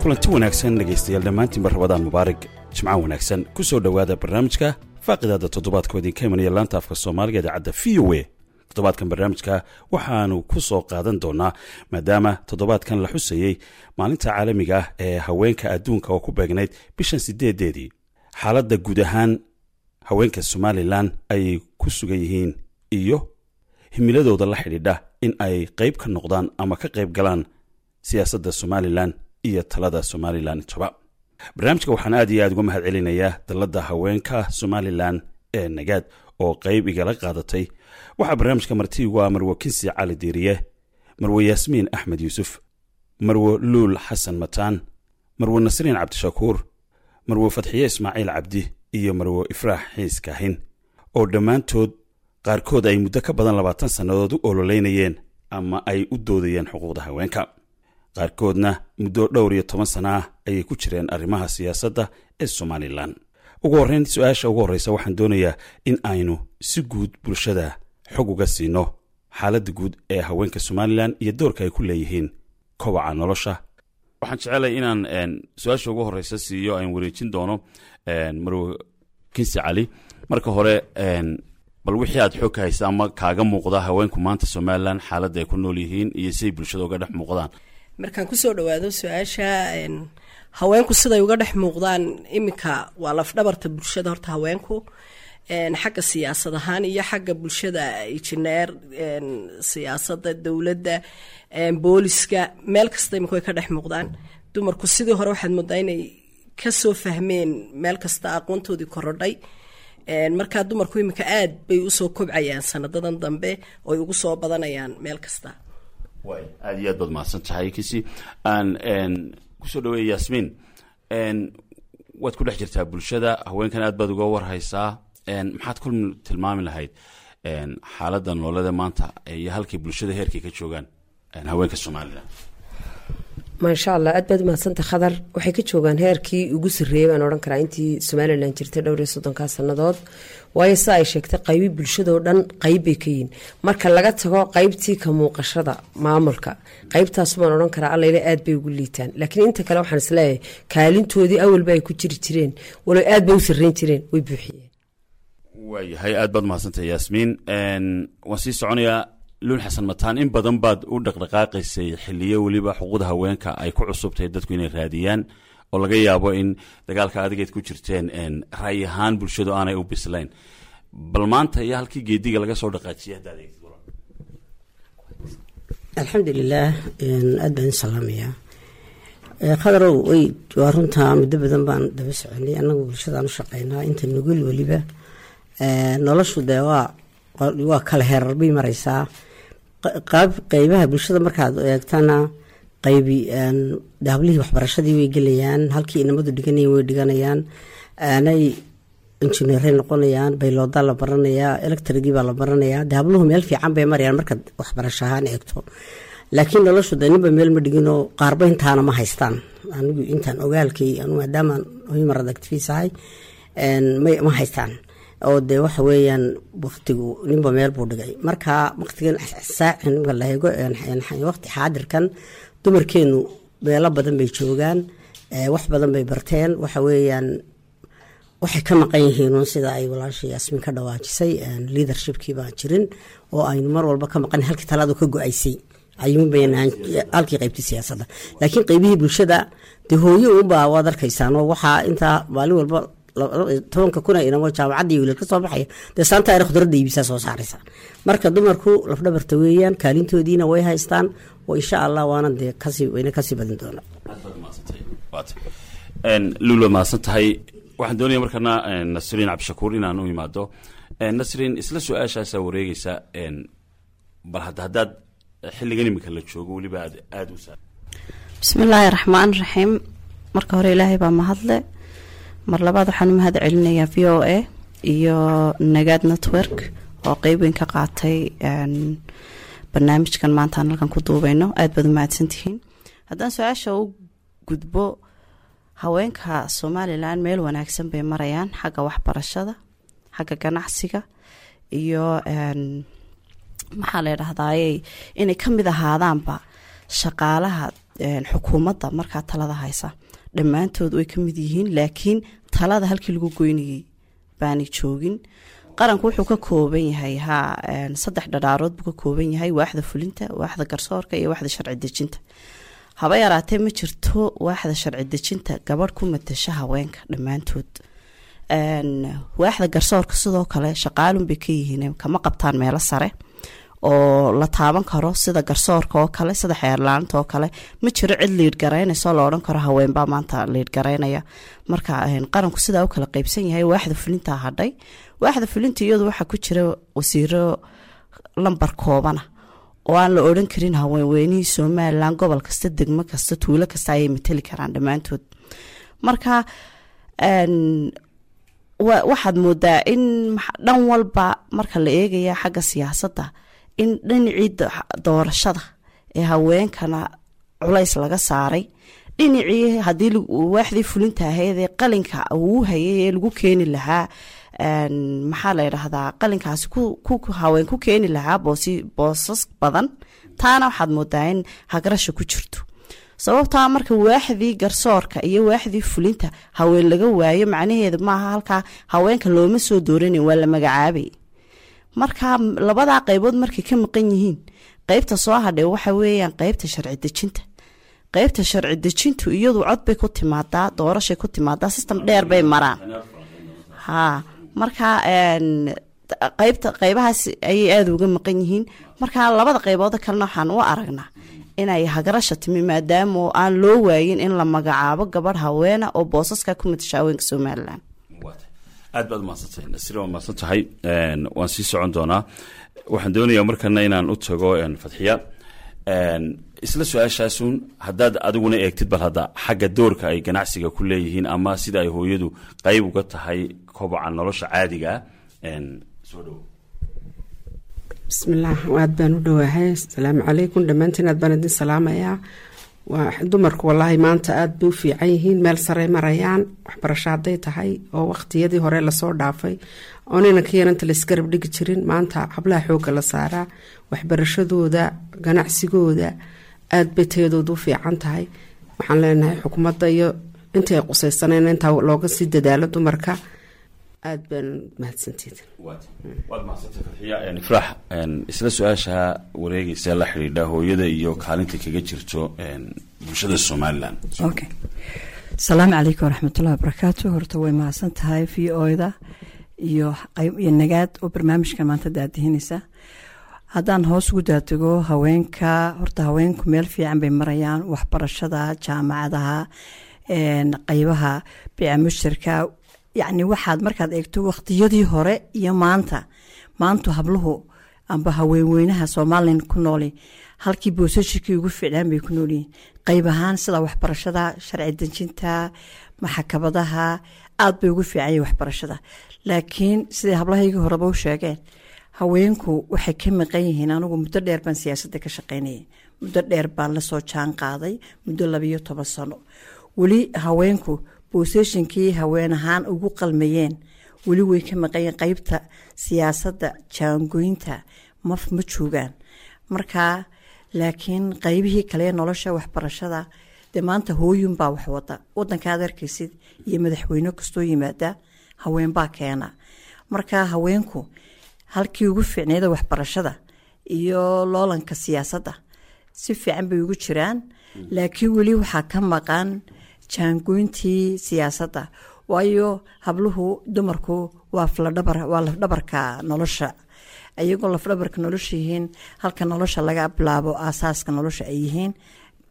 Kulanti wanaagsan dhegaystayaal dhammaantiinba, Ramadaan mubaarig, Jimco wanaagsan. Ku soo dhowaada barnaamijka faaqidaada toddobaadka oo idinka imanaya laanta afka Soomaaliga idaacadda VOA. Toddobaadkan barnaamijka waxaanu ku soo qaadan doonaa, maadaama toddobaadkan la xusayey maalinta caalamiga ah ee haweenka adduunka oo ku beegnayd bishan 8-deedii, xaaladda guud ahaan haweenka Somaliland ay ku sugan yihiin iyo himiladooda la xidhiidha in ay qayb ka noqdaan ama ka qayb galaan siyaasadda Somaliland iyo talada Somaliland intaba. Barnaamijka waxaan aad iyo aad uga mahad celinayaa dalladda haweenka Somaliland ee Nagaad oo qayb igala qaadatay. Waxaa barnaamijka marti igu ah Marwo Kinsi Cali Diiriye, Marwo Yaasmiin Axmed Yuusuf, Marwo Luul Xasan Mataan, Marwo Nasriin Cabdishakuur, Marwo Fadxiye Ismaaciil Cabdi iyo Marwo Ifraax Xiis Kaahin, oo dhammaantood qaarkood ay muddo ka badan 20 sannadood u ololeynayeen ama ay u doodayeen xuquuqda haweenka, qaarkoodna muddo dhowr iyo toban sana ah ayay ku jireen arrimaha siyaasadda ee Somaliland. Ugu horreyn, su-aasha ugu horreysa waxaan doonayaa in aynu si guud bulshada xog uga siino xaaladda guud ee haweenka Somaliland iyo doorka ay ku leeyihiin kobaca nolosha. Waxaan jecelay inaan su-aasha ugu horreysa siiyo, aan wareejin doono Marwo Kinsi Cali. Marka hore, bal wixii aad xog ka haysa ama kaaga muuqda haweenku maanta Somaliland xaaladda ay ku nool yihiin iyo siay bulshada uga dhex muuqdaan. Markaan kusoo dhawaado su-aasha, haweenku siday uga dhex muuqdaan iminka waa lafdhabarta bulshada. Horta haweenku xagga siyaasad ahaan iyo xagga bulshada, injineer, siyaasadda dowladda, booliska, meel kasta imika way ka dhex muuqdaan dumarku. Sidii hore waxaad moodaa inay kasoo fahmeen meel kasta, aqoontoodii korodhay. Markaa dumarku iminka aad bay usoo kobcayaan sanadadan dambe oy ugu soo badanayaan meel kasta. Way aada iyo aad baad mahadsan tahay, Kisi. Aan kusoo dhaweeya Yaasmiin. Waad ku dhex jirtaa bulshada haweenkan, aad baad uga warhaysaa. Maxaad ku tilmaami lahayd xaaladda nololada maanta iyo halkay bulshada heerkay ka joogaan haweenka Somaliland? Maasha Allah, aad baad umahadsanta, Khadar. Waxay ka joogaan heerkii ugu sarreeyay baan odhan karaa intii Somaliland jirtay dhowr iyo soddonkaa sannadood, waayo sida ay sheegtay qaybi bulshadoo dhan qayb bay ka yihiin, marka laga tago qaybtii ka muuqashada maamulka. Qaybtaas baan odhan karaa allayle aad bay ugu liitaan, laakiin inta kale waxaan isleeyahay kaalintoodii awalba ay ku jiri jireen, walow aad bay u sarreyn jireen, way buuxiyeen. Waayahay, aad baad mahadsantahay, Yaasmiin. Waan sii soconayaa. Luul Xasan Mataan, in badan baad u dhaqdhaqaaqaysay xiliyo weliba xuquuqda haweenka ay ku cusubtahay dadku inay raadiyaan, oo laga yaabo in dagaalka adigeed ku jirteen ra'yi ahaan bulshadu aanay u bislayn. Bal maanta iyo halkii geediga laga soo dhaqaajiyay haddaad eegtid? Alxamdulilaah, aad baan salaamayaa, Khadarow. Way waa runtaa, muddo badan baan daba soconay annagu bulshadaan u shaqeynaa inta nugul. Weliba noloshu dee waa kala heerar bay mareysaa. Qaab qeybaha bulshada markaad eegtana, qaybi hablihii waxbarashadii way gelayaan, halkii inamadu dhiganayeen way dhiganayaan, aanay injineeray noqonayaan, bayloodaa la baranayaa, electrigii baa la baranayaa. De habluhu meel fiican bay marayaan markaad waxbarasho ahaan eegto, laakiin noloshu de ninba meel ma dhiginoo, qaarba intaana ma haystaan. Anigu intaan ogaalkay anu, maadaamaan human rights activist ahay, ma haystaan oo dee waxa weeyaan waqtigu ninba meel buu dhigay. Marka waqtigan saacin marka la eego, waqti xaadirkan dumarkeenu meelo badan bay joogaan, wax badan bay barteen. Waxa weeyaan waxay ka maqan yihiin uun sida ay walaasha Yaasmiin ka dhawaajisay, leadershipkii baan jirin oo aynu mar walba ka maqan halkii talaadu ka go-aysay ayuunbaynaan halkii qaybtii siyaasadda. Laakiin qaybihii bulshada dee hooyo uunbaa waad arkaysaan oo waxaa intaa maalin walba 10-ka kuna inamo jaamacaddii wiilal ka soo baxaya dee saanta ayna khudradda iibisaa soo saaraysa. Marka dumarku lafdhabarta weeyaan, kaalintoodiina way haystaan oo insha Allah waana dee kasii wayna kasii badin doonaa. Luul, waad mahadsan tahay. Waxaan doonaya markana Nasriin Cabdishakuur inaan u imaado. Nasriin, isla su-aashaasaa wareegeysa. Bal hadda haddaad xilligan imika la joogo weliba aad aada u saa Bismillaahi raxmaan raxiim. Marka hore Ilaahay baa mahadle. Mar labaad waxaan u mahad celinayaa VOA iyo Nagaad Network oo qeyb weyn ka qaatay barnaamijkan maanta aan halkan ku duubeyno. Aada baad u mahadsantihiin. Haddaan su-aasha u gudbo, Haweenka Somalilan meel wanaagsan bay marayaan xagga waxbarashada, xagga ganacsiga iyo maxaa la dhahdaayey, inay ka mid ahaadaanba shaqaalaha xukuumadda markaa talada haysa. Dhammaantood way ka mid yihiin, laakiin talada halkii lagu goynayay baanay joogin. Qaranku wuxuu ka kooban yahay 3 dhadhaarood buu ka kooban yahay: waaxda fulinta, waaxda garsoorka iyo waaxda sharci dejinta. Haba yaraatee ma jirto waaxda sharci dejinta gabadh ku matasha haweenka dhammaantood. Waaxda garsoorka sidoo kale shaqaalun bay ka yihiin, kama qabtaan meelo sare oo la taaban karo, sida garsoorka oo kale, sida xeerlaanta oo kale. Ma jiro cid liid garaynayso la odhan karo haweenbaa maanta liid garaynaya. Marka qaranku sidaa u kala qeybsan yahay, waaxda fulintaa hadhay. Waaxda fulinta iyadu waxaa ku jira wasiiro lambar koobana oo aan la odhan karin haweenweynihii Somalilan gobol kasta, degmo kasta, tuulo kasta ayay matali karaan dhammaantood. Marka waxaad moodaa in dhan walba marka la eegaya xagga siyaasadda, in dhinacii doorashada ee haweenkana culays laga saaray, dhinacii haddii waaxdii fulinta ahayd ee qalinka uu hayay ee lagu keeni lahaa, maxaa la yidhaahdaa, qalinkaasi haween ku keeni lahaa boosas badan, taana waxaad moodaa in hagrasha ku jirto. Sababtaa marka waaxdii garsoorka iyo waaxdii fulinta haween laga waayo, macnaheedu maaha halkaa haweenka looma soo dooranin, waa la magacaabay. Marka labadaa qaybood markay ka maqan yihiin, qeybta soo hadhay waxa weeyaan qeybta sharci dejinta. Qeybta sharci dejintu iyadu cod bay ku timaadaa, doorashay ku timaadaa, system dheer bay maraan. Ha, marka qaybta qaybahaas ayay aada uga maqan yihiin. Marka labada qaybood kalena waxaan u aragnaa inay hagrasha timi, maadaama aan loo waayin in la magacaabo gabadh haweena oo boosaska ku matasha haweenka Somalilan. Aad baad umahadsantay, Nasri, waa mahadsan tahay. Waan sii socon doonaa. Waxaan doonayaa markana inaan u tago Fadxiya. Isla su-aashaasun haddaad adiguna eegtid, bal hadda xagga doorka ay ganacsiga ku leeyihiin ama sida ay hooyadu qayb uga tahay koboca nolosha caadiga ah, soo dhowo. Bismillaah, aad baan u dhawaahay. Asalaamu calaykum dhammaantiin, aad baan idin salaamayaa. Waa dumarku wallaahi maanta aada bay u fiican yihiin, meel sarey marayaan, waxbarasho hadday tahay oo waqtiyadii hore lasoo dhaafay oo ninanka yaranta la isgarab dhigi jirin, maanta hablaha xoogga la saaraa, waxbarashadooda, ganacsigooda aada bay tayadooda u fiican tahay. Waxaan leenahay xukuumadda iyo intii ay qusaysaneen intaa looga sii dadaalo dumarka. Aada baan mahadsantiid. Waad mahadsantay, Fadxiya. Ifraax, isla su-aasha wareegeysa la xidhiidha hooyada iyo kaalinta kaga jirto bulshada Somalilan. Okay, asalaamu calaykum waraxmatullahi wabarakaatu. Horta way mahadsan tahay VOA-da iyo Nagaad oo barnaamijkan maanta daadihinaysa. Haddaan hoos ugu daadego haweenka, horta haweenku meel fiican bay marayaan: waxbarashada, jaamacadaha, qeybaha biica mushtarka. Yacni waxaad markaad eegto waqtiyadii hore iyo maanta, maantu habluhu amba haweenweynaha Somalilan ku nooli halkii boosashikii ugu fiicnaan bay ku noolyihiin, qayb ahaan sida waxbarashada, sharci dejinta, maxakabadaha, aada bay ugu fiican yihin waxbarashada. Laakiin siday hablahaygii horeba u sheegeen, haweenku waxay ka maqan yihiin. Anigu muddo dheer baan siyaasadda ka shaqeynayay, muddo dheer baan lasoo jaan qaaday, muddo 12 sano. Weli haweenku booseshinkii haween ahaan ugu qalmayeen weli way ka maqan yihiin. Qeybta siyaasadda jaangoynta ma joogaan marka, laakiin qeybihii kale nolosha, waxbarashada, dee maanta hooyunbaa wax wada wadanka aad arkaysid, iyo madaxweyne kastoo yimaada haweenbaa keena. Marka haweenku halkii ugu fiicnayda waxbarashada iyo loolanka siyaasadda si fiican bay ugu jiraan, laakiin weli waxaa ka maqan jaangoyntii siyaasadda, waayo habluhu, dumarku waa lafdhabar, waa lafdhabarka nolosha. Iyagoo lafdhabarka nolosha yihiin, halka nolosha laga bilaabo, aasaaska nolosha ay yihiin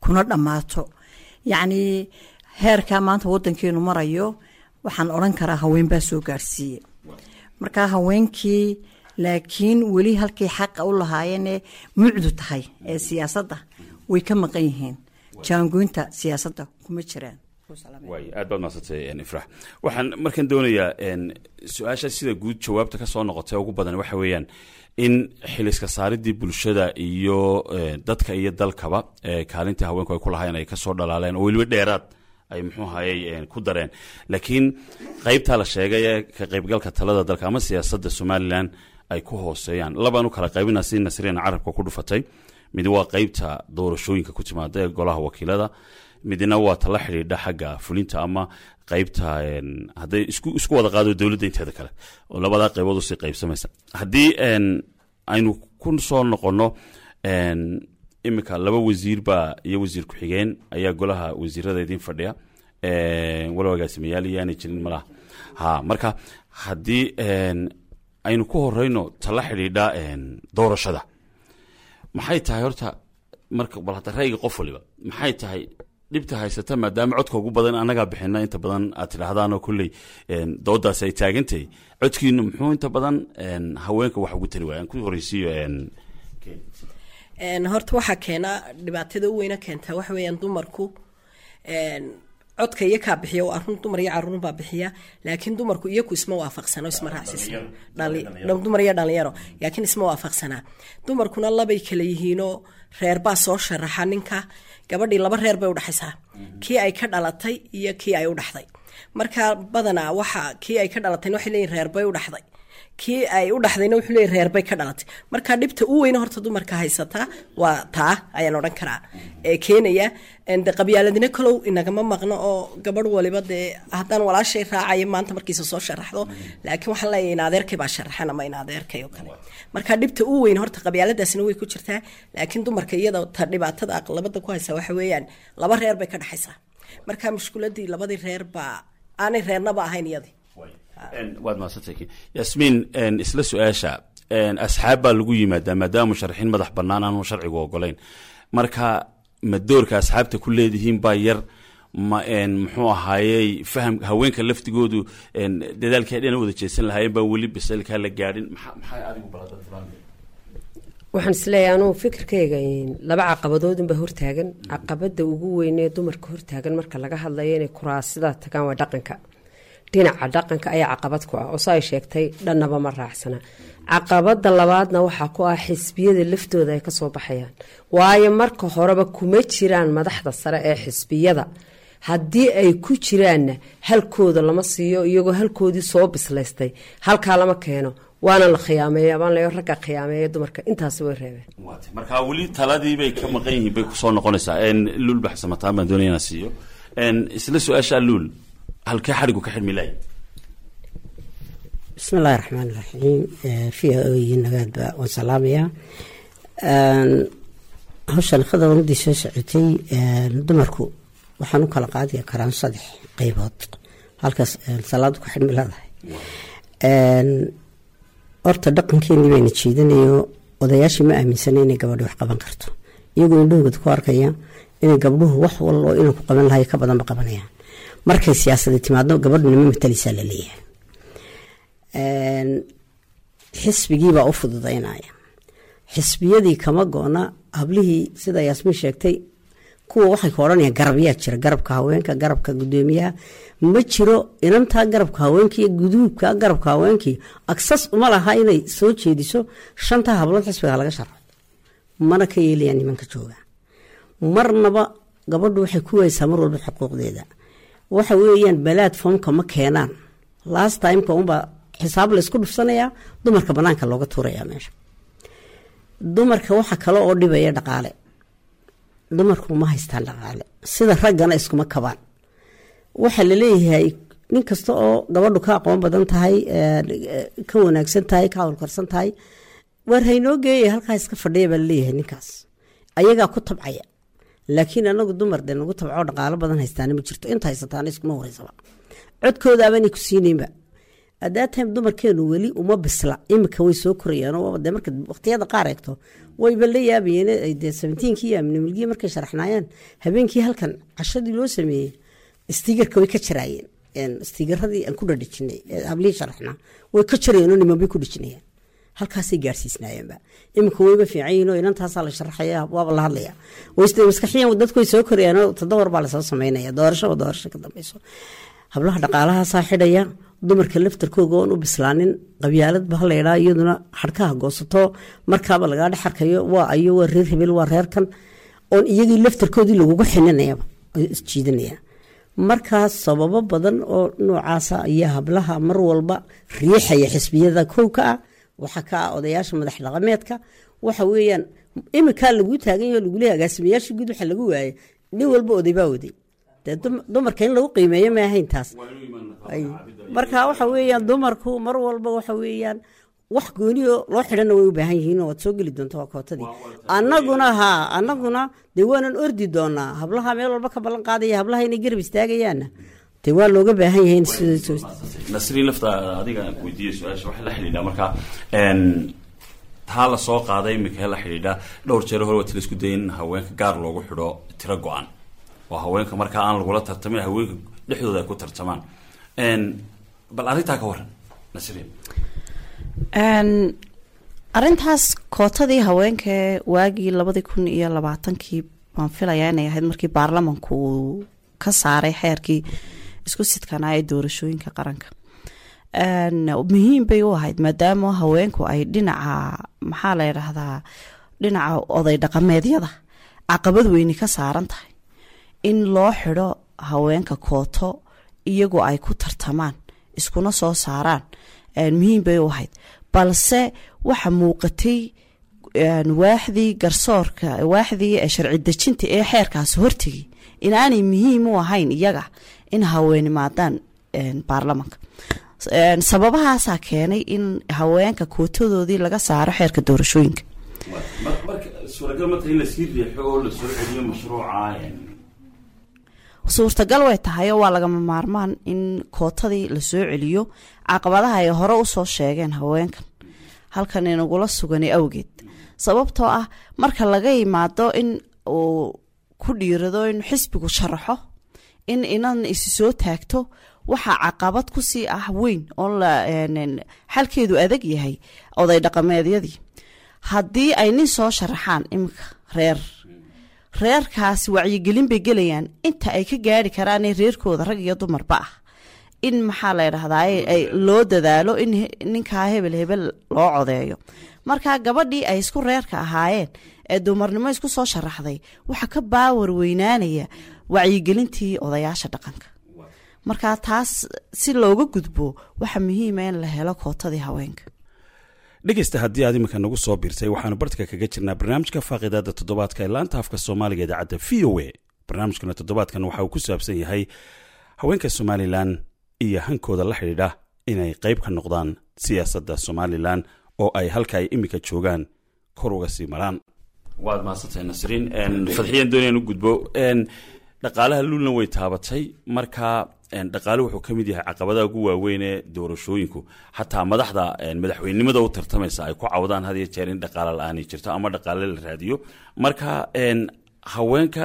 kuna dhammaato, yacnii heerkaa maanta wadankeenu marayo waxaan odhan karaa haween baa soo gaarsiiyey. Marka haweenkii laakiin weli halkii xaqa u lahaayeenee mucdu tahay ee siyaasadda way ka maqan yihiin, jaangoynta siyaasadda kuma jiraan. Waay, aad baad mahadsantay, Ifrax. Waxaan markan doonayaa su-aasha sida guud jawaabta ka soo noqotay ugu badan waxa weeyaan in xiliska saaridii bulshada iyo dadka iyo dalkaba kaalintii haweenku ay ku lahaayeen ay kasoo dhalaaleen oo weliba dheeraad. Ay muxuu ahayey ku dareen, laakiin qaybtaa la sheegay ee ka qaybgalka talada dalka ama siyaasadda Somalilan ay ku hooseeyaan labaan u kala qaybina, si Nasriina carabka ku dhufatay. Mid waa qaybta doorashooyinka ku timaada ee golaha wakiilada, midna waa tala xidhiidha xagga fulinta ama qaybta hadday isku wada qaado dowladda inteeda kale, oo labadaa qaybood usii qaybsamaysa. Haddii aynu ku soo noqonno iminka, laba wasiir baa iyo wasiir ku-xigeen ayaa golaha wasiirada idin fadhiya, walow agaasimayaal iyaanay jirin malaha. Ha, marka haddii aynu ku horeyno tala xidhiidha doorashada, maxay tahay horta marka bal hadda ra'yiga qof waliba, maxay tahay dhibta haysata, maadaama codka ugu badan annagaa bixina inta badan aad tidhaahdaanoo kolley doodaasi ay taagantahay, codkiinu muxuu inta badan haweenka wax ugu tari waaya? Aan ku horeysiiyo. Horta waxaa keena dhibaatada u weyna keentaa waxa weeyaan dumarku codka iyo kaa bixiya, waa run, dumar iyo caruur baa bixiya, laakiin dumarku iyaku isma waafaqsano, isma raacsisna, dumar iyo dhalinyaro, laakiin isma waafaqsanaa. Dumarkuna labay kala yihiinoo reer baa soo sharaxa ninka, gabadhii laba reer bay udhaxaysaa, kii ay ka dhalatay iyo kii ay u dhaxday. Marka badanaa waxa kii ay ka dhalatayna waxay leeyihin reer bay u dhaxday, kii ay u dhaxdayna wuxuu leeyahy reer bay ka dhalatay. Marka dhibta u weyna horta dumarka haysataa waa taa ayaan odhan karaa ee keenaya. De qabyaaladina kalow inagama maqno, oo gabadh waliba dee haddaan walaashay raacayo maanta markiisa soo sharaxdo, laakiin waxaan leeyahay in adeerkay baa sharaxan ama in adeerkay oo kale. Marka dhibta u weyn horta qabyaaladaasina way ku jirtaa, laakiin dumarka iyada ta dhibaatada aqlabada ku haysa waxa weeyaan laba reer bay ka dhexaysaa. Marka mushkuladii labadii reer baa aanay reernaba ahayn iyadii. Waad mahadsantahay, Yasmiin. Isla su-aasha, asxaab baa lagu yimaadaa maadaama musharaxiin madax bannaan aanu sharcigu ogolayn. Marka ma doorka asxaabta ku leedihiin baa yar, ma muxuu ahaayey faham haweenka laftigoodu dadaalkii ay dhina wada jeesan lahaayeen baa weli bisaylkaa la gaadhin? Maxaa adigu balada? Waxaan isleeyahay anugu fikirkayga laba caqabadood unbaa hortaagan. Caqabada ugu weynee dumarka hortaagan marka laga hadlayo inay kuraasida tagaan waa dhaqanka. Dhinaca dhaqanka ayaa caqabad ku ah, oo sa ay sheegtay dhannaba ma raacsana. Caqabada labaadna waxaa ku ah xisbiyada laftooda ay kasoo baxayaan, waayo marka horeba kuma jiraan madaxda sare ee xisbiyada. Haddii ay ku jiraanna halkooda lama siiyo, iyagoo halkoodii soo bislaystay halkaa lama keeno, waana la khiyaameeya, baan leeyo ragga khiyaameeya dumarka, intaasi way reebeen. Marka weli taladii bay ka maqan yihiin bay kusoo noqonaysaa. Luul Baxsamataan baan doonaya inaan siiyo isla su-aasha. Luul, halkee xadhigu ka xidhmi lahay? Bismi illaahi raxmaan iraxiim. V O iyo nagaadba waan salaamayaa. Hawshan khadar muddii soo socotay, dumarku waxaan u kala qaadi karaan saddex qeybood halkaas salaadu ku xidhmi leedahay. Horta dhaqankeenii bayna jiidanayo, odayaashii ma aaminsana inay gabadhi wax qaban karto, iyagoo indhahooda ku arkaya inay gabdhuhu wax waloo inaan ku qaban lahay ka badanba qabanayaan. Markay siyaasada timaadno gabadhuna ma matalaysaa laleeyahay, xisbigiibaa u fududaynaya. Xisbiyadii kama go-na hablihii, sida Yaasmiin sheegtay, kuwa waxay ku odhanayaan garabyaa jira, garabka haweenka, garabka gudoomiyaha ma jiro. Inantaa garabka haweenka iyo guduubka garabka haweenkii agsas uma laha inay soo jeediso shantaa hablood xisbiga laga sharxo, mana ka yeelayaan nimanka jooga marnaba. Gabadhu waxay ku waysaa mar walba xuquuqdeeda, waxa weeyaan platformka ma keenaan. Last timeka unbaa xisaab laysku dhufsanayaa, dumarka banaanka looga tuurayaa meesha. Dumarka waxa kale oo dhibaya dhaqaale. Dumarku ma haystaan dhaqaale sida raggana, iskuma kabaan. Waxaa laleeyahay nin kasta oo gabadhu ka aqoon badan tahay, ka wanaagsan tahay, ka howlkarsan tahay, waar haynoo geeya, halkaa iska fadhiya baa laleeyahay. Ninkaas ayagaa ku tabcaya, laakiin anagu dumar dee nagu tabcoo dhaqaalo badan haystaana ma jirto. Inta haysataana iskuma horeysaba, codkoodaabanay ku siinaynba. At that time dumarkeenu weli uma bisla. Imika way soo korayaan oo dee marka waqtiyada qaar eegto wayba la yaabayeen. Dee 17-kii iyo amnimilgii markay sharaxnaayeen, habeenkii halkan cashadii loo sameeyey sticker-ka way ka jaraayeen. Sticker-adii aan ku dhadhijinay hablihii sharaxnaa way ka jarayeen oo niman bay ku dhejinayeen, halkaasay gaarsiisnaayeenba. Iminka wayba fiican yihiin oo inantaasaa la sharaxaya, waaba la hadlaya, maskaxiyan dadku way soo korayaan oo toddobar baa lasoo sameynaya doorashaba doorasho ka dambeyso. Hablaha dhaqaalahaasaa xidhaya. Dumarka laftarkooga oon u bislaanin, qabyaalad ba hala iyaduna xadhkaha goosato, markaaba lagaa dhex arkayo waa ayo, waa reer hebel, waa reerkan, oon iyagii laftarkoodii lagugu xininayaba isjiidanaya. Markaas sababo badan oo noocaasa iyo hablaha mar walba riixaya xisbiyada kow ka ah, waxa ka ah odayaasha madax dhaqameedka. Waxa weeyaan iminkaa laguu taagan yaho, lagu leeyahay agaasimayaasha guud waxa lagu waayay nin walba oday baa waday. Dee dumarka in lagu qiimeeyo ma ahayn taas. Marka waxa weeyaan dumarku mar walba waxa weeyaan wax gooniyo loo xidhana way u baahan yihiin, oo waad soo geli doonta waa kootadii. Annaguna haa, annaguna dee waanan ordi doonaa hablaha meel walba ka ballan qaadaya, hablaha inay garab istaagayaanna dee waa looga baahan yahay in sida. Nasriin, lafta adiga aan ku weydiiyey su-aasha waxay la xidhiidhaa markaa taa la soo qaaday iminka la xidhiidha dhowr jeer hore waa tila isku dayay in haweenka gaar loogu xidho tiro go-an oo haweenka markaa aan lagula tartamin, haweenka dhexdooda ay ku tartamaan. Bal arrintaa ka waran, Nasriin. Arrintaas kootadii haweenka waagii 2020-kii baan filayaa inay ahayd markii baarlamanku uu ka saaray xeerkii isku sidkanaa ee doorashooyinka qaranka. Muhiim bay u ahayd maadaama haweenku ay dhinaca, maxaa la yidhaahdaa, dhinaca oday dhaqameedyada caqabad weyni ka saaran tahay, in loo xidho haweenka kooto iyagoo ay ku tartamaan iskuna soo saaraan muhiim bay u ahayd. Balse waxa muuqatay waaxdii garsoorka, waaxdii sharci dejinta ee xeerkaasi hortegay inaanay muhiim u ahayn iyaga in haweenimaadaan baarlamanka. Sababahaasaa keenay in haweenka kootadoodii laga saaro xeerka doorashooyinka. Marka suuragal ma tahay in lasii riixo oo lasoo celiyo mashruuca? Suurtagal way tahay oo waa lagama maarmaan in kootadii lasoo celiyo, caqabadaha ay hore usoo sheegeen haweenkan halkan inagula suganay awgeed. Sababtoo ah marka laga yimaado in uu ku dhiirado in xisbigu sharaxo in inan isi soo taagto, waxaa caqabad kusii ah weyn oo xalkeedu adag yahay oday dhaqameedyadii. Haddii ay nin soo sharaxaan iminka reerkaasi wacyigelin bay gelayaan inta ay ka gaari karaanee reerkooda rag iyo dumarba ah in, maxaa la yidhahdaa, loo dadaalo in ninkaa hebel hebel loo codeeyo. Marka gabadhii ay isku reerka ahaayeen ee dumarnimo isku soo sharaxday waxaa ka baawar weynaanaya wacyigelintii odayaasha dhaqanka. Marka taas si looga gudbo waxaa muhiima in la helo kootadii haweenka. Dhegeysta, haddii aad iminka nagu soo biirtay, waxaanu bartka kaga jirnaa barnaamijka faaqidaada toddobaadka ee laanta afka Soomaaliga idaacadda VOA. Barnaamijkuna toddobaadkan waxa uu ku saabsan yahay haweenka Somalilan iyo hankooda la xidhiidha inay qayb ka noqdaan siyaasadda Somalilan oo ay halka ay iminka joogaan kor uga sii maraan. Waad mahadsantahay, Nasriin. Fadxiyaan doonayaan u gudbo dhaqaalaha. Luulna way taabatay. Marka dhaqaale wuxuu ka mid yahay caqabadaha ugu waaweyn ee doorashooyinku, xataa madaxda madaxweynenimada u tartamaysa ay ku cawdaan had iyo jeer in dhaqaale la-aani jirto ama dhaqaale la raadiyo. Marka haweenka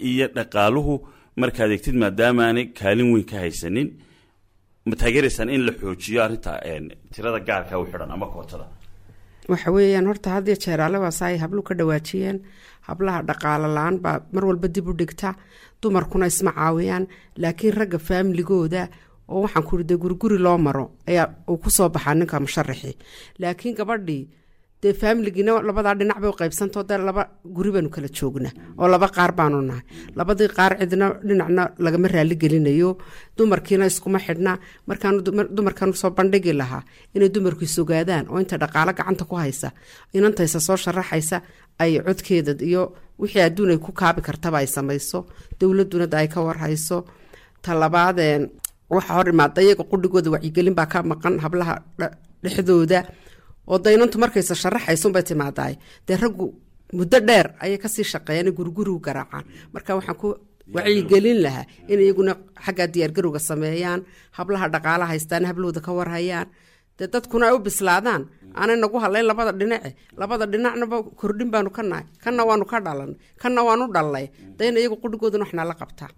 iyo dhaqaaluhu markaad eegtid, maadaama aanay kaalin weyn ka haysanin, ma taageeraysaan in la xoojiyo arrinta tirada gaarka u xidhan ama kootada? Waxa weeyaan horta had iyo jeer alle ay hablu ka dhawaajiyeen, hablaha dhaqaalo la-aan baa mar walba dib u dhigta, dumarkuna isma caawiyaan. Laakiin ragga faamiligooda oo waxaan ku de guriguri loo maro ayaa uu kusoo baxaa ninka musharaxi. Laakiin gabadhii dee faamiligiina labadaa dhinac bay u qaybsantao, dee laba guri baanu kala joognaa oo laba qaar baanu nahay. Labadii qaar cidna dhinacna lagama raali gelinayo, dumarkiina iskuma xidhna. Markaanu dumarkan usoo bandhigi lahaa inay dumarku isogaadaan oo inta dhaqaalo gacanta ku haysa inantaysa soo sharaxaysa ay codkeeda iyo wixii adduun ay ku kaabi kartaba ay samayso, dowladuna da ay ka warhayso. Talabaadeen waxa hor imaada iyaga qudhigooda wacyigelin baa ka maqan hablaha dhexdooda, oo daynantu markaysa sharaxaysa unbay timaadaay. Dee raggu muddo dheer ayay kasii shaqeeyaan, gurigurigu garaacaan. Marka waxaan ku wacyigelin lahaa in iyaguna xaggaa diyaargarowga sameeyaan, hablaha dhaqaala haystaan hablahooda ka warhayaan, dee dadkuna ay u bislaadaan, aanay nagu hadlayn labada dhinace. Labada dhinacnaba kordhin baanu ka nahay, kanna waanu ka dhalanay, kanna waanu dhalnay, dayna iyagu qudhigooduna waxnaa la qabtaa.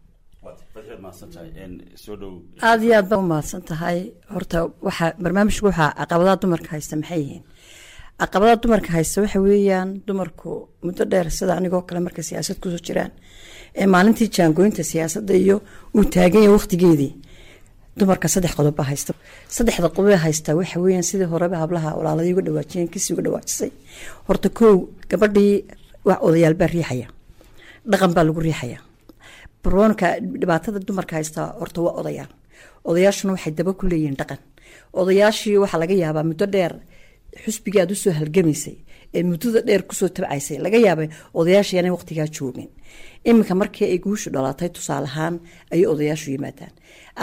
Aada iyo aad baa u mahadsan tahay. Horta waxaa barnaamijku waxaa caqabadaha dumarka haysta maxay yihiin? Caqabadaha dumarka haysta waxa weeyaan dumarku muddo dheer, sida anigoo kale, markay siyaasad kusoo jiraan ee maalintii jaangooyinta siyaasadda iyo uu taagan yahay waqtigeedii, dumarka saddex qodob baa haysta. Saddexda qodob ee haysta waxa weeyaan sidii horeba hablaha walaaladii uga dhawaajiyeen, kisii uga dhawaajisay. Horta kow, gabadhii wax odayaal baa riixaya, dhaqan baa lagu riixaya. Baroonka dhibaatada dumarka haysta horta waa odayaal. Odayaashuna waxay daba ku leeyihiin dhaqan. Odayaashii waxaa laga yaabaa muddo dheer xusbigii aad usoo halgamaysay ee muddada dheer kusoo tabcaysay, laga yaabay odayaashii inay waqtigaa joogin. Iminka markii ay guushu dhalatay, tusaale ahaan, ayay odayaashu yimaadaan.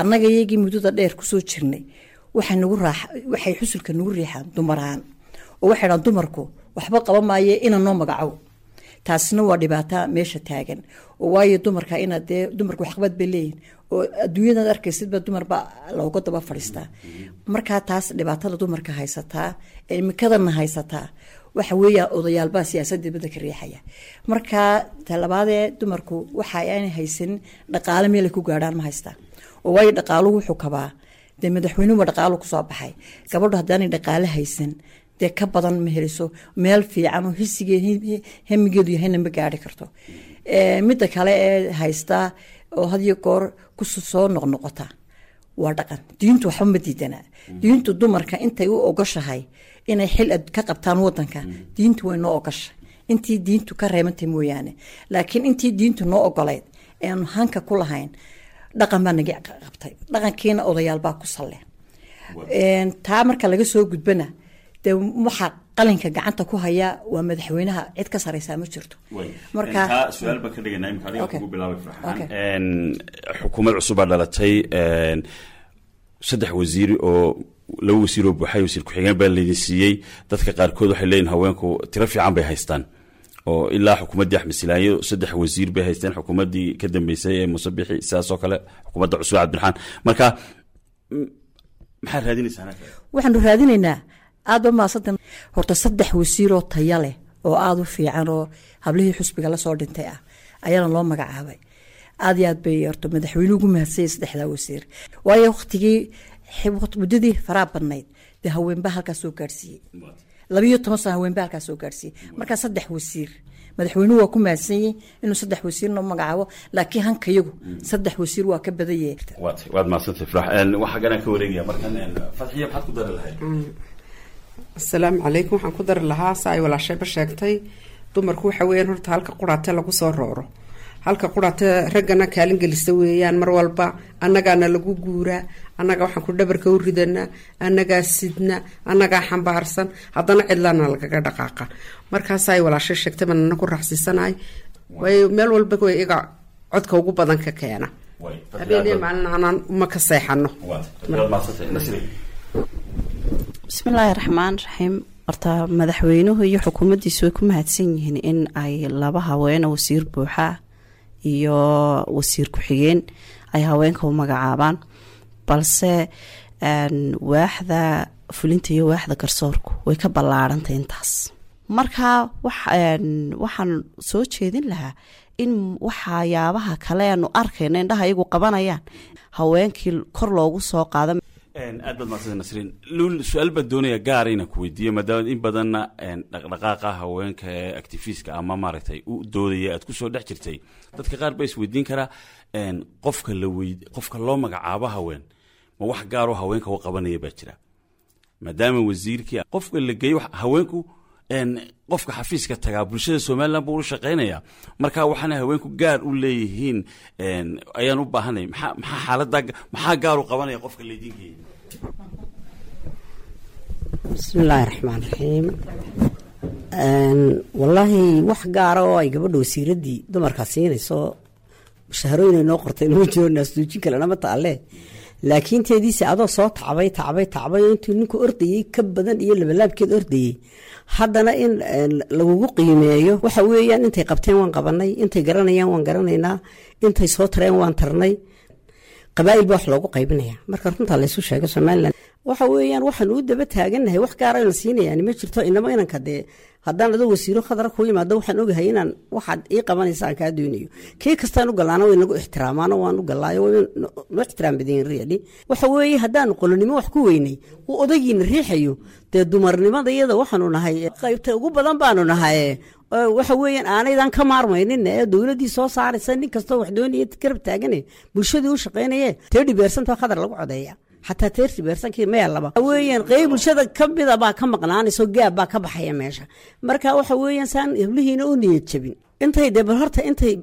Annaga iyagii muddada dheer kusoo jirnay waxay nagu raax, waxay xusulka nagu riixaan dumar ahaan, oo waxay dhahaan dumarku waxba qaban maaye, ina noo magacow. Taasina waa dhibaata meesha taagan, oo waayo dumarka inaad dee dumarku waxqabad bay leeyihin, oo adduunyadaad arkaysidba dumarba looga daba fadhiistaa. Markaa taas dhibaatada dumarka haysataa ee imikadana haysataa waxa weeya odayaalbaa siyaasadda dibadda ka riixaya. Markaa talabaadee, dumarku waxa aanay haysanin dhaqaale meel ay ku gaadhaan ma haystaan, oo waayo dhaqaaluhu wuxuu kabaa dee madaxweynuhuba dhaqaalu kusoo baxay. Gabadhu haddaanay dhaqaale haysan, dee ka badan ma heliso meel fiican oo hisigee hamigeedu yahayna ma gaari karto. Midda kale ee haystaa oo had iyo goor ku soo noqnoqota waa dhaqan. Diintu waxba ma diidanaa. Diintu dumarka intay u ogoshahay inay xil ka qabtaan wadanka, diintu way noo ogoshay, intii diintu ka reebantay mooyaane. Laakiin intii diintu noo ogolayd eanu hanka ku lahayn, dhaqan baa naga qabtay, dhaqankiina odayaal baa ku salle. Taa marka laga soo gudbana, dee waxaa qalinka gacanta ku haya waa madaxweynaha, cid ka sareysaa ma jirto. Marka su-aal baan ka dhiganaa imika adiga kugu bilaabay, Farxaan. Xukuumad cusub baa dhalatay, saddex wasiir oo laba wasiir oo buuxay, wasiir ku-xigeen baa laydin siiyey. Dadka qaarkood waxay leeyihin haweenku tiro fiican bay haystaan, oo ilaa xukuumaddii Axmed Silaanyo saddex wasiir bay haysteen, xukuumaddii ka dambeysay ee Muuse Bixi sidaas oo kale, xukuumadda cusub Cabdiraxmaan. Marka maxaad raadinaysaa? Waxaanu raadinaynaa, aad ba maasanta, horta saddex wasiiroo taya leh oo aada u fiican oo hablihii xusbiga lasoo dhintay ah ayaana loo magacaabay. Aad iyo aad bay horta madaxweynuhu ugu mahadsanyay saddexdaa wasiir, waayo waqtigii muddadii faraa badnayd dee haweenba halkaas soo gaadhsiiyey, 12 sano haweenba halkaas soo gaadhsiiyey. Markaa saddex wasiir madaxweynuhu waa ku mahadsanyey inuu saddex wasiir noo magacaabo, laakiin hankayagu saddex wasiir waa ka badan yahay. Waad mahadsantay, Farax. Waxaa ganaan ka wareegaya markan Fadxiya, maxaad ku dari lahayd? Asalaamu calaykum. Waxaan ku dari lahaa sa ay walaashayba sheegtay, dumarku waxa weeyaan horta halka quraate lagu soo rooro, halka quraate raggana kaalin gelisa weeyaan. Mar walba annagaana lagu guuraa, annaga waxaan ku dhabarka u ridanaa, annagaa sidna, annagaa xambaarsan, haddana cidlaana lagaga dhaqaaqa. Markaasa ay walaashay sheegtay baan ana ku raaxsiisanahay, waayo meel walba way iga codka ugu badan ka keena, habeeniyo maalin anaan uma ka seexano. Bismillaahi raxmaan raxiim. Horta madaxweynuhu iyo xukuumaddiisu way ku mahadsan yihiin in ay laba haweene wasiir buuxa iyo wasiir ku-xigeen ay haweenka u magacaabaan, balse waaxda fulinta iyo waaxda garsoorku way ka ballaarantay intaas. Marka waxaan soo jeedin lahaa in waxyaabaha kale aanu arkayno indhaha iyagu qabanayaan haweenkii kor loogu soo qaado. Aad baad mahadsanta, Nasriin. Luul, su-aal baan doonaya gaara inaan ku weydiiyo, maadaama in badanna dhaqdhaqaaqa haweenka ee activistka ama maaragtay u doodaya aad kusoo dhex jirtay. Dadka qaar baa isweydiin karaa, qofka la wey qofka loo magacaabo haween ma wax gaaroo haweenka u qabanaya baa jira, maadaama wasiirkii qofka la geeyo haweenku, qofka xafiiska tagaa bulshada Somaliland buu u shaqaynaya. Marka waxaana haweenku gaar u leeyihiin ayaan u baahanay, maxaa xaalada maxaa gaar u qabanaya qofka laydin geeyay? Bismi illaahi raxmaan raxiim. Wallaahi wax gaara oo ay gabadha wasiiraddii dumarkaa siinayso mushaharooyinay noo qortay nama jiro, naasduujin kalena ma taalle. Laakiin teediise adoo soo tacbay tacbay tacbay oo intuu ninku ordayey ka badan iyo labalaabkeed ordayey, haddana in lagugu qiimeeyo waxa weeyaan intay qabteen waan qabanay, intay garanayaan waan garanaynaa, intay soo tareen waan tarnay. Qabaa'il baa wax loogu qaybinaya. Marka runtaa laysu sheego, Somaliland waxa weeyaan waxaan u daba taagannahay wax gaara la siinayaan ma jirto. Inama inanka dee haddaan adoo wasiiro khadra kuu yimaado, waxaan ogahay inaan waxaad ii qabanaysa aan kaa doonayo. Kii kastaan u gallaana way nagu ixtiraamaano, waan u gallaayo, way noo ixtiraam badan really. Waxa weeye haddaanu qolonimo wax ku weynay uu odagiina riixayo, dee dumarnimada iyada waxaanu nahay qaybta ugu badan baanu nahay. Waxa weeyaan aanaydan ka maarmaynin ee dowladdii soo saaraysa nin kastoo wax doonaya garab taagane bulshadii u shaqaynaye 30% khadar lagu codeeya, xataa 30%-kii maya laba weeyaan qeyb bulshada ka mida baa ka maqnaanayso, gaab baa ka baxaya meesha. Marka waxa weeyaan saan hiblihiina u niyad jabin intay dee bal horta intay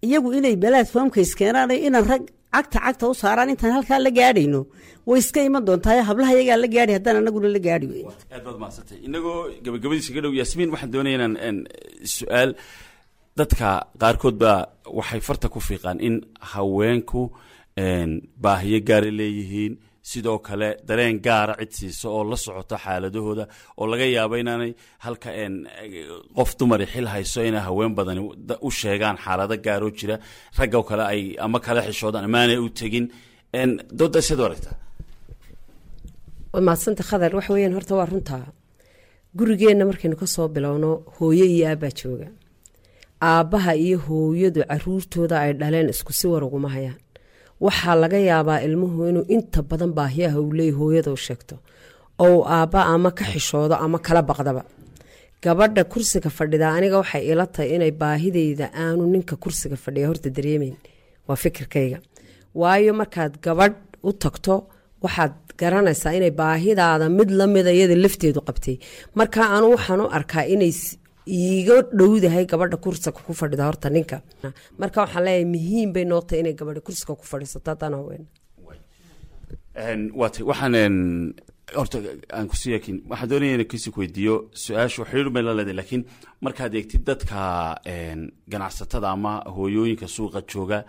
Iyagu inay platformka iskeenaan, inaan rag cagta cagta u saaraan intaan halkaa la gaadhayno, way iska iman doontaa. Hablaha iyagaa la gaadhi haddaan anaguna la gaadhi weyn. Aad baad mahadsantay. Inagoo gabagabadiisa ka dhow, Yaasmiin, waxaan doonaya inaan su-aal. Dadka qaarkood baa waxay farta ku fiiqaan in haweenku baahiyo gaara leeyihiin, sidoo kale dareen gaara cid siisa oo la socota xaaladahooda, oo laga yaabo inaanay halka qof dumari xil hayso inay haween badani u sheegaan xaalado gaaroo jira, raggo kale ay ama kala xishoodaan amaanay u tegin. Dooda siad u aragtaa? Waa mahadsanta, Khadar. Waxa weyaan, horta waa runtaa. Gurigeenna markaynu kasoo bilowno, hooyo iyo aabbaa jooga. Aabbaha iyo hooyadu caruurtooda ay dhaleen isku si war uguma hayaan. Waxaa laga yaabaa ilmuhu inuu inta badan baahiyaha uu leeyay hooyada u sheegto, oo aabba ama ka xishoodo ama kala baqdaba. Gabadha kursiga fadhida, aniga waxay ila tahay inay baahideyda aanu ninka kursiga fadhiya horta dareemeyn. Waa fikirkayga, waayo markaad gabadh u tagto waxaad garanaysaa inay baahidaada mid lamida iyada lafteedu qabtay. Marka anu waxaan u arkaa inay iiga dhowdahay gabadha kursiga ku fadhida horta ninka. Marka waxaan leeyahay, muhiim bay noo tahay inay gabadha kursiga ku fadhiisato haddaan haween. Waatay. Waxaan horta aan kusi yakin, waxaan doonaya inaan kasi weydiiyo su-aashu xiriir bay la leedahay, laakiin markaad eegtid dadka ganacsatada ama hooyooyinka suuqa jooga,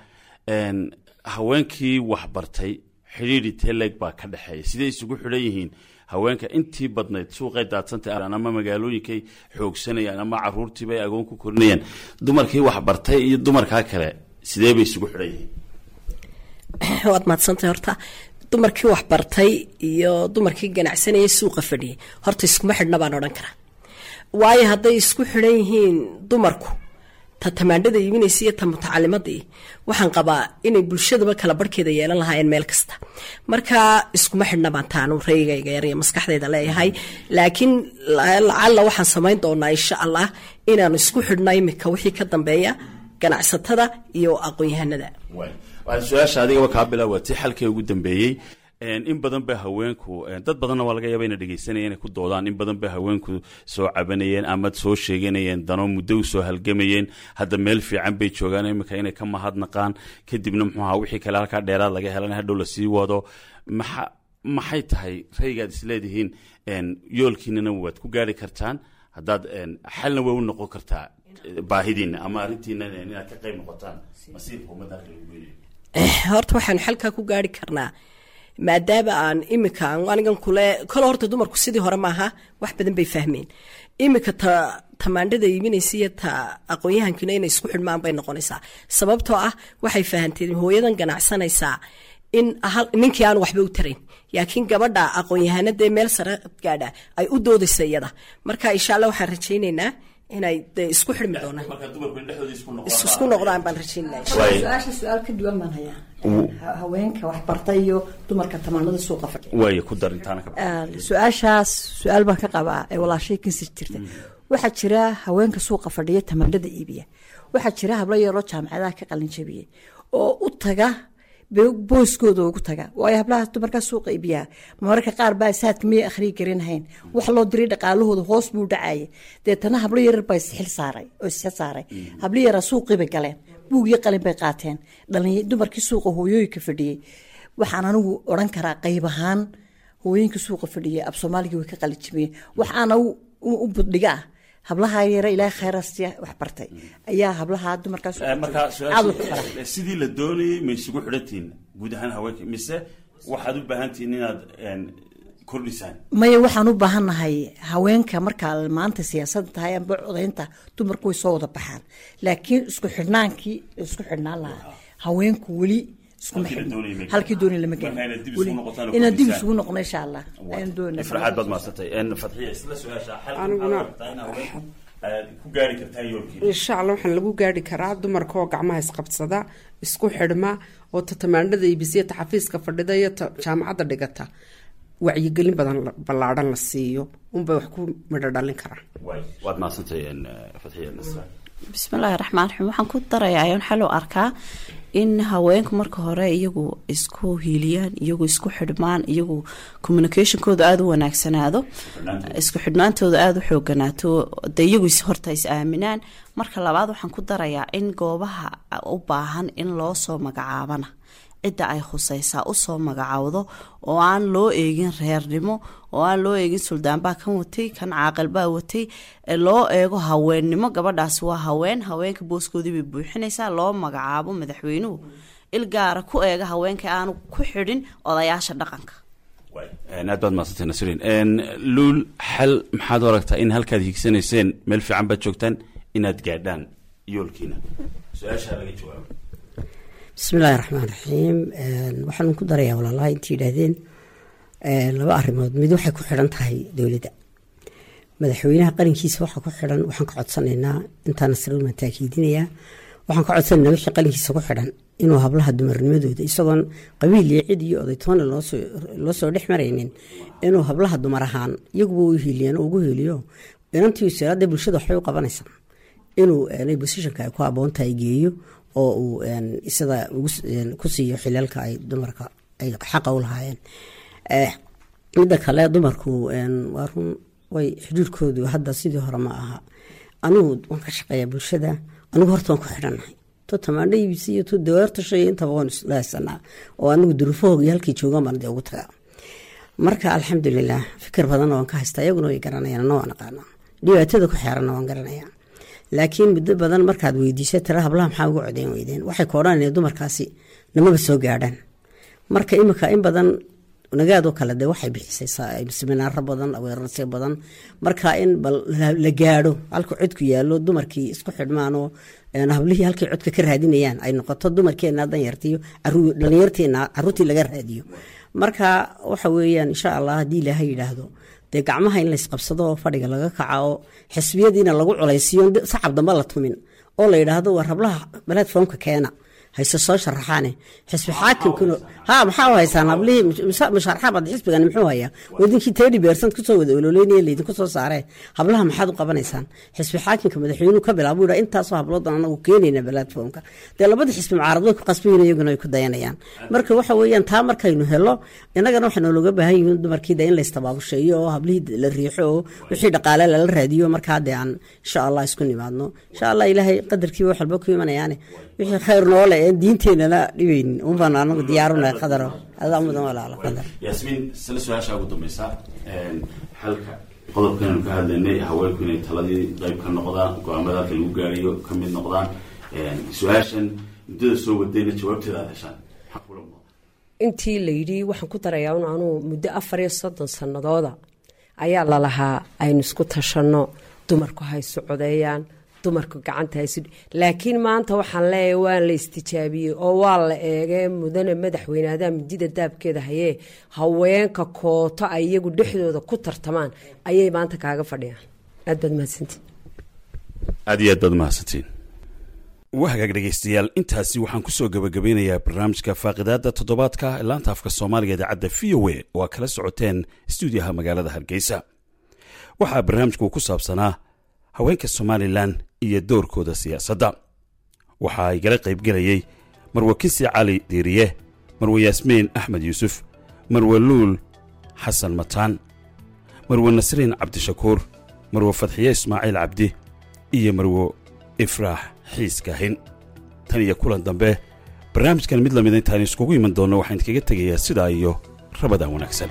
haweenkii waxbartay xidhiidhi teleg baa ka dhexeeya? Sidee isugu xidhan yihiin haweenka intii badnayd? Suuqay daadsantay ama magaalooyinkay xoogsanayaan ama caruurtiibay agoon ku korinayaan. Dumarkii waxbartay iyo dumarkaa kale sidee bay isugu xidhan yihiin? Waad mahadsantay. Horta dumarkii waxbartay iyo dumarkii ganacsanayay suuqa fadhiyay horta iskuma xidhna baan odhan karaa, waayo hadday isku xidhan yihiin dumarku, ta tamaandhada iibinaysa iyo ta mutacalimadii, waxaan qabaa inay bulshadaba kala barhkeeda yeelan lahaayeen meel kasta. Marka iskuma xidhna baan taanu raygayga yar iyo maskaxdayda leeyahay, laakiin lacalla waxaan samayn doonaa, insha Allah, inaanu isku xidhno imika wixii ka dambeeya ganacsatada iyo aqoon-yahanada. Su-aasha adigaba kaa bilaawatay, xalkii ugu dambeeyey. In badan ba haweenku, dad badanna waa laga yaaba ina dhegeysanaya, inay ku doodaan, in badan ba haweenku soo cabanayeen ama soo sheeganayeen dano, muddo u soo halgamayeen, hadda meel fiican bay joogaan, iminka inay ka mahadnaqaan, kadibna muxuu ahaa wixii kale halkaa dheeraad laga helan hadhow lasii wado. Maxay tahay raygaad isleedihiin yoolkiinana waad ku gaari kartaan, haddaad xalna way u noqon kartaa baahidiina ama arrintiina inaad ka qayb noqotaan masiirka ummadda halka lagu geynayo? Horta waxaanu xalkaa ku gaari karnaa, maadaama aan imika anigan kule kole, horta dumarku sidii hore maaha, wax badan bay fahmeen imika. Ta tamaandhada iibinaysa iyo ta aqoon-yahankina inay isku xidhmaan bay noqonaysaa, sababtoo ah waxay fahanteen hooyadan ganacsanaysaa in ninkii aan waxba u tarayn, laakiin gabadha aqoon-yahanadee meel sare gaadha ay u doodaysa iyada. Marka insha Allah waxaan rajaynaynaa inay dee isku xidhmi doonaan, isku noqdaan baan rajaynaya. Su-aasha su-aal ka duwan baan hayaa, haweenka waxbartay iyo dumarka tamaanada suuqa fadhiya. Waay, ku dar intaana ka. Su-aashaas su-aal baan ka qabaa ee walaashay kinsi jirta. Waxaa jira haweenka suuqa fadhiya tamaandhada iibiya, waxaa jira hablo yaroo jaamacadaha ka qalin jabiyey oo u taga booskooda ugu taga, waayo hablahaas dumarkaa suuqa iibiyaa mararka qaar baa saadka miyay akhriyi garanahayn, wax loo diray dhaqaalahooda hoos buu dhacayay. Deetana hablo yarar baa isxil saaray oo isxil saaray, hablo yaraa suuqii bay galeen, buug iyo qalin bay qaateen. Dhalin dumarkii suuqa hooyooyinka fadhiyey, waxaan anigu odhan karaa qayb ahaan hooyooyinka suuqa fadhiyey af Soomaaligii way ka qalijimiyeen. Waxaana u buddhiga ah hablaha yare Ilaahay khayrastiya wax bartay ayaa hablaha dumarkaas. Marka sidii la doonayay ma isugu xidhantihiin guud ahaan haweenka, mise waxaad u baahan tihiin inaad kordhisaan? Maya, waxaan u baahannahay haweenka markaa maanta siyaasadda tahay amba codaynta, dumarku way soo wada baxaan, laakiin isku xidhnaankii isku xidhnaan lahaa haweenku weli iskuma xidhno, halkii doonay lama gelin. Inaan dib isugu noqono insha Allah ayaan doonay. Farxaad baad mahadsantay. Fadxiya, isla su-aasha, xalka maxaad in haweenku aad ku gaari kartaan yoolkiina? Insha Allah waxaan lagu gaari karaa dumarka oo gacmaha isqabsada, isku xidhma, oo ta tamaandhada iibisiya, ta xafiiska fadhida iyo ta jaamacadda dhigata wacyigelin badan ballaadhan la siiyo unbay wax ku midho dhalin karaan. Waad mahadsantay, Fadxiya Nasra. Bismillaahi raxmaan raxiim. Waxaan ku darayaa ayaan xal u arkaa in haweenku marka hore iyagu isku hiiliyaan, iyagu isku xidhmaan, iyagu communicationkooda aada u wanaagsanaado, isku xidhnaantooda aada u xooganaato, de iyagu horta is aaminaan. Marka labaad waxaan ku darayaa in goobaha u baahan in loo soo magacaabana cidda ay khusaysaa usoo magacaawdo, oo aan loo eegin reernimo, oo aan loo eegin suldaanbaa kan watay, kan caaqilbaa watay, loo eego haweennimo. Gabadhaasi waa haween, haweenka booskoodii bay buuxinaysaa. Loo magacaabo, madaxweynuhu il gaara ku eega haweenka, aanu ku xidhin odayaasha dhaqanka. Aad baad mahadsantay, Nasriin. Luul, xal maxaad u aragtaa in halkaad hiigsanayseen meel fiican baad joogtaan inaad gaadhaan yoolkiina? Su-aashaa laga jawaabo. Bismillahi raxmaan raxiim. Waxaan ku darayaa walaalaha intii yidhaahdeen laba arrimood. Mid waxay ku xidhan tahay dowladda, madaxweynaha qarankiisa waxaa ku xidhan. Waxaan ka codsanaynaa, intaan Nasriin waan taakiidinayaa, waxaan ka codsanaynaa wixii qarankiisa ku xidhan inuu hablaha dumarnimadooda, isagoon qabiil iyo cid iyo odaytoona loo soo dhex maraynin, inuu hablaha dumar ahaan iyaguba u hiiliyaan oo ugu hiiliyo inantii wasaaradda bulshada waxbay u qabanaysaa, inuu positionka ay ku habboon tahay geeyo oo uu isada ku siiyo xilalka ay dumarka ay xaqa u lahaayeen. Midda kale, dumarku waa run, way xidhiirkoodu hadda sidii hore ma aha. Anigu waan ka shaqeeyaa bulshada, anigu horta waan ku xidhannahay, to tamaandho iibisi iyo to daweertashay intaba waan isla haysanaa, oo anigu duruufahooga iyo halkii joogaan baan dee ugu tagaa. Marka alxamdulilah, fikir badan waan ka haystaa, iyaguna way garanayaan, anna waan aqaanaa, dhibaatada ku xeeranna waan garanayaa. Laakiin muddo badan markaad weydiisa tira hablaha maxaa uga codeyn weydeen, waxay ka odhanayaan dumarkaasi namaba soo gaadhaan. Marka imika in badan Nagaadoo kale dee waxay bixisay siminaaro badan, aweerarsi badan, marka in bal la gaadho halka codku yaallo, dumarkii isku xidhmaanoo hablihii halkay codka ka raadinayaan ay noqoto dumarkeena danyartiyo dhalinyarteena caruurtii laga raadiyo. Marka waxa weeyaan, insha Allah, haddii Ilaahay yidhaahdo, dee gacmaha in laysqabsado oo fadhiga laga kaca oo xisbiyadiina lagu culaysiyo, sacab dambe la tumin oo la yidhaahdo war hablaha platformka keena, hayse soo sharaxaane xisbi xaakimkuna ha maxaa u haysaan hablihii musharaxaabad, xisbigani muxuu hayaa, wadinkii 30% kusoo wada ololeynaya laydinku soo saaree, hablaha maxaad u qabanaysaan? Xisbi xaakimka madaxweynuhu ka bilaabo yidhaa intaasoo habloodan anagu keenayna platformka, dee labada xisbi mucaarad way ku qasbayin, iyaguna way ku dayanayaan. Marka waxa weeyaan, taa markaynu helo innagana waxaa noolooga baahan yihiin dumarkii dee in laystabaabusheeyo oo hablihii la riixo oo wixii dhaqaale lala raadiyo. Markaa dee aan insha Allah isku nimaadno, insha Allah, Ilaahay qadarkiiba wax walba ku imanayaane, wixii khayr noole een diinteenana dhibaynin unbaan anagu diyaarunahay. Qadaro, adaa mudan walaalo Qadar. Yaasmiin, isla su-aasha ugu dambeysa, xalka qodobkan aynu ka hadlaynay, haweenku inay taladii qayb ka noqdaan, go-aamada halka lagu gaariyo ka mid noqdaan, su-aashan muddada soo wadayna jawaabteeda aad heshaan, maxaa kula muuqda? Intii la yidhi waxaan ku darayaa un anuu muddo 34 sannadooda ayaa lalahaa aynu isku tashanno, dumarku ha isu codeeyaan, dumarku gacanta haysu, laakiin maanta waxaan leeyahay waa la istijaabiyey oo waa la eegee. Mudane madaxweyne, adaa midida daabkeeda hayee, haweenka kooto ay iyagu dhexdooda ku tartamaan ayay maanta kaaga fadhiyaan. Aad baad mahadsantii. Aad iyo aad baad mahadsantiin. Waa hagaag, dhegaystayaal, intaasi waxaan kusoo gebagabeynayaa barnaamijka faaqidaada toddobaadka laanta afka Soomaaliga idaacadda VOA oo aa kala socoteen stuudiyaha magaalada Hargeysa. Waxaa barnaamijku ku saabsanaa haweenka Somalilan iyo doorkooda siyaasadda. Waxaa igala qaybgelayey Marwe Kisi Cali Diiriye, Marwe Yaasmiin Axmed Yuusuf, Marwe Luul Xasan Mataan, Marwe Nasriin Cabdishakuur, Marwe Fadxiye Ismaaciil Cabdi iyo Marwo Ifraax Xiis Kaahin. Tan iyo kulan dambe barnaamijkan mid lamida intaan iskugu iman doonno, waxaan idinkaga tegayaa sidaa iyo Ramadaan wanaagsan.